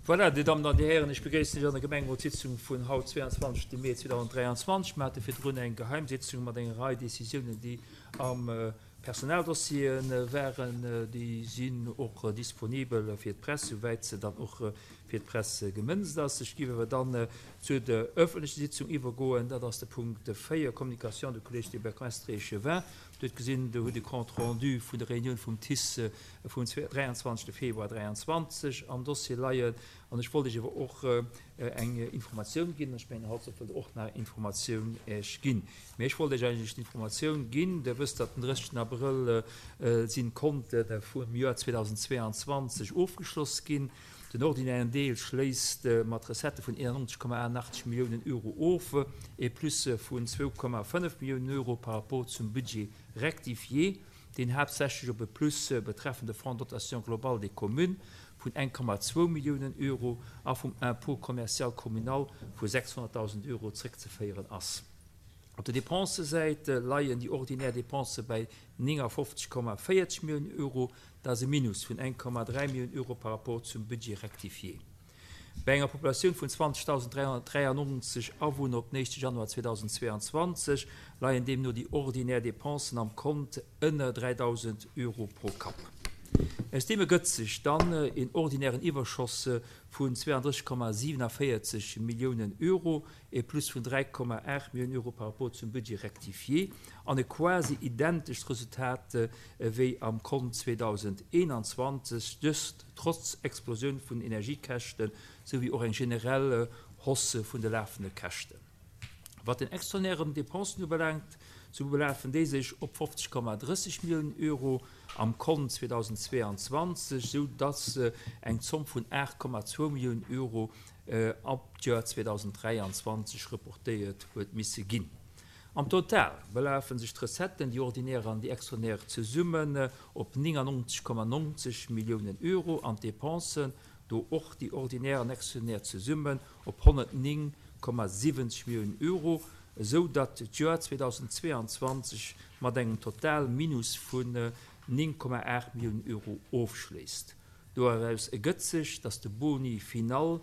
Voilà, Dir Dammen an Dir Hären, ech begréissen lech an der Gemengerotssitzung vun haut, 22 Mee 2023. Mer hate virdrun eng Geheimsitzung mat enger Rei Décisiounen, déi am Personaldossier waren. Déi sinn och disponibel fir d'Press, souwäit se dann och fir d'Press gemënzt ass. Ech géif awer dann zu der öffentlechen Sitzung iwwergoen. Dat ass de Punkt 4, Communication du Collège des Bourgmestres et Échevins. Dir hutt gesinn, do hutt e Compte rendu vun der Reunioun vum TICE vum 23. Februar 23 am Dossier leien. An ech wollt Iech awer och eng Informatioun ginn. Ech mengen, haut wëllt Der och nach eng Informatioun Iech ginn. Mee ech wollt Iech eigentlech d'Informatioun ginn, Dir wësst, datt den 30. Abrëll sinn d'Konte vum Joer 2022 ofgeschloss ginn. Den ordinären Deel schléisst mat Recettë vun 91,88 Milliounen Euro of, e Plus vun 2,5 Milliounen Euro par rapport zum Budget rectifié, deen haaptsächlech op e Plus betreffend de Fonds de dotation globale des communes vun 1,2 Milliounen Euro a vum Impôt commercial communal vu 600.000 Euro zréckzeféieren ass. Op der Dépensësäit leien déi ordinär Dépensë bäi 59,40 Milliounen Euro, Dat ass e Minus vun 1,3 Milliounen Euro par rapport zum Budget rectifié. Bei enger Populatioun vun 20.393 Awunner op den éischte Januar 2022 leien deemno déi ordinär Dépensen am Kont ënner 3.000 Euro pro Kapp. Aus deem ergëtt sech dann een ordinären Iwwerschoss vun 32,47 Milliounen Euro, e Plus vun 3,8 Milliounen Euro par rapport zum Budget rectifié an e quasi identescht Resultat ewéi am Kont 2021, dëst trotz Explosioun vun den Energiekäschte souwéi och eng generell Hausse vun de lafende Käschten. Wat den extraordinären Dépensen ubelaangt, sou belafen déi sech op 50,30 Milliounen Euro am Kont 2022, sou dass eng Zomm vun 8,2 Milliounen Euro ab d'Joer 2023 reportéiert huet misse ginn. Am Total belafe sech d'Recetten, déi ordinär an déi extraordinär zesummen, op 99,90 Milliounen Euro an d'Depensen, do och déi ordinär an extraordinär zesummen, op 109,70 Milliounen Euro, esou datt d'Joer 2022 mat engem Total-Minus vun 9,8 Milliounen Euro ofschléisst. Doraus ergëtt sech, datt de Boni final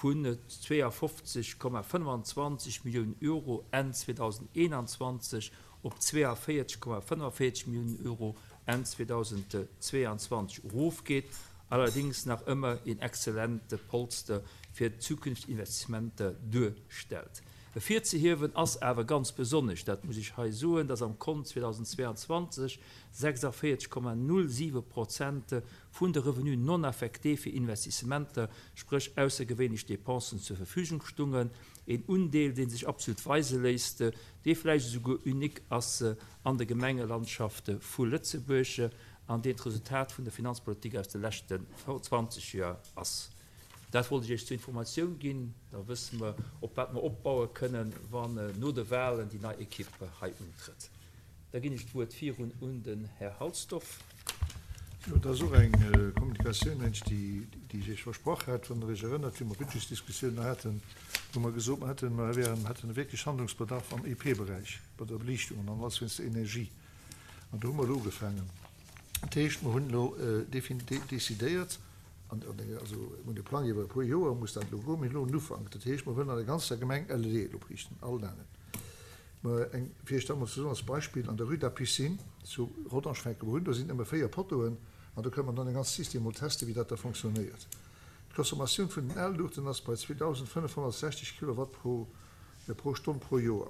vun 52,25 Milliounen Euro Enn 2021 op 42,45 Milliounen Euro Enn 2022 erofgeet, allerdéngs nach ëmmer een exzellente Polster fir zukünfteg Investissementer duerstellt. Ervirzehiewen ass awer ganz besonnesch, dat muss ech hei soen, dass am Kont 2022 46,07 Prozent vun de Revenus non affectés fir Investissementer, spréch aussergewéinlech Dépensen, zur Verfügung stungen, een Undeel, dee sech absolut weise léisst, dee vläicht esouguer unique ass an der Gemengelandschaft vu Lëtzebuerg an deen d'Resultat vun der Finanzpolitik aus de leschten 20 Joer ass. Dat wollt ech Iech zur Informatioun ginn, da wësse mer, op wat mer opbaue kënnen, wann no de Wahlen déi nei Equipe hei untrëtt. Da ginn ech d'Wuert virun un den Här Halsdorf. Jo, dat ass och eng Kommunikatioun, mengt ech, déi ech Iech versprach hat. Wann Der Iech erënnert, wéi mer d'Budgetsdiskussioun nach haten, hu mer gesot, mer hätten, mer wären, hätten wierklech Handlungsbedarf am EP-Beräich, bei der Beliichtung an alles wéinst der Energie. An do hu mer elo ugefaangen. Dat heescht, mer hunn elo decidéiert, an, also mir hunn de Plang iwwer e puer Joer muss dat elo goen, mir hunn elo en Ufank. Dat heescht, mer wëllen an der ganzer Gemeng LEDen opriichten, all Lanen. Mä eng, fir Iech dat emol ze soen als Beispill, an der Rue de la Piscine zu Rodange fänke mer un, do sinn nëmme 4 Pottoen an do kënne mer dann e ganzt System mol testen, wéi dat da fonctionnéiert. D'Consommatioun vun den Al-Luuchten ass bei 2.560 Kilowatt pro pro Stonn pro Joer.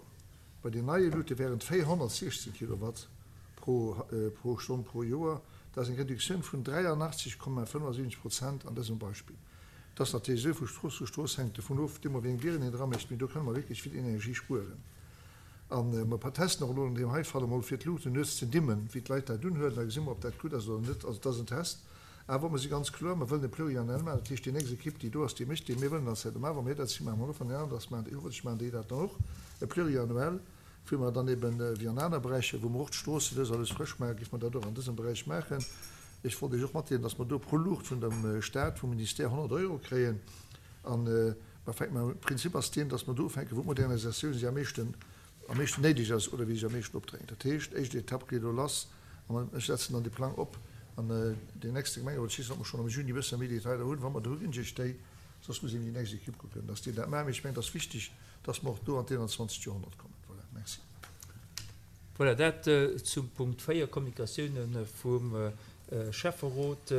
Bei den neie Luute wären et 416 Kilowatt pro pro Stonn pro Joer. Dat ass eng Reduktioun vun 83,75 Prozent an dësem Beispill. Et ass natierlech esou, vu Strooss zu Strooss hänkt dovun of, deemno wéi eng Dieren een dra mécht, mee do kënne mer wierklech vill Energie spueren. A mer testen och elo an deem hei Fall emol, fir d'Luuchten nuets ze dimmen, wéi d'Leit dat unhuelen, da gesi mer, ob dat gutt ass oder net. Also et ass en Test. Awer mer si ganz kloer, mer wëllen e Pluriannuel maachen, dat heescht, déi nächst Ekipp, déi do ass, déi mécht dee. Mir wëllen dat maachen, wa mir dat si maachen mer och, wann déi aner dat maachen, hoffentlech maachen déi dat dann och, e Pluriannuel. Wou mer dann eben, wéi an aner Beräicher, wou mer och d'Stroosse lues a lues frësch maachen, géife mer dat och an dësem Beräich maachen. Ech wollt Iech och matdeelen, dass mer do pro Luucht vun dem Stat, vum Ministère 100 Euro kréien. A mer fänken, mä Prinzip ass deen, dass mer do ufänken, wou d'Modernisatioun sech am meeschten, am meeschten néideg ass oder wéi sech am meeschten opdrängt. Dat heescht, éischt Etapp geet elo lass an ech setzen dann de Plang op. An deen nächste Gemengerot, ech weess net, ob mer schonn am Juni e bësse méi Detailer hunn. Wa mer der hu ginn ech Iech déi. Soss muss een déi nächst Equipe kucken, dass déi dat maachen. Mee ech mengen, et ass wichteg, dass mer och do an d'Einundzwanzegt Joerhonnert kommen. Voilà, merci. Voilà, dat zum Punkt 4, Kommunikatiounen vum Schäfferot.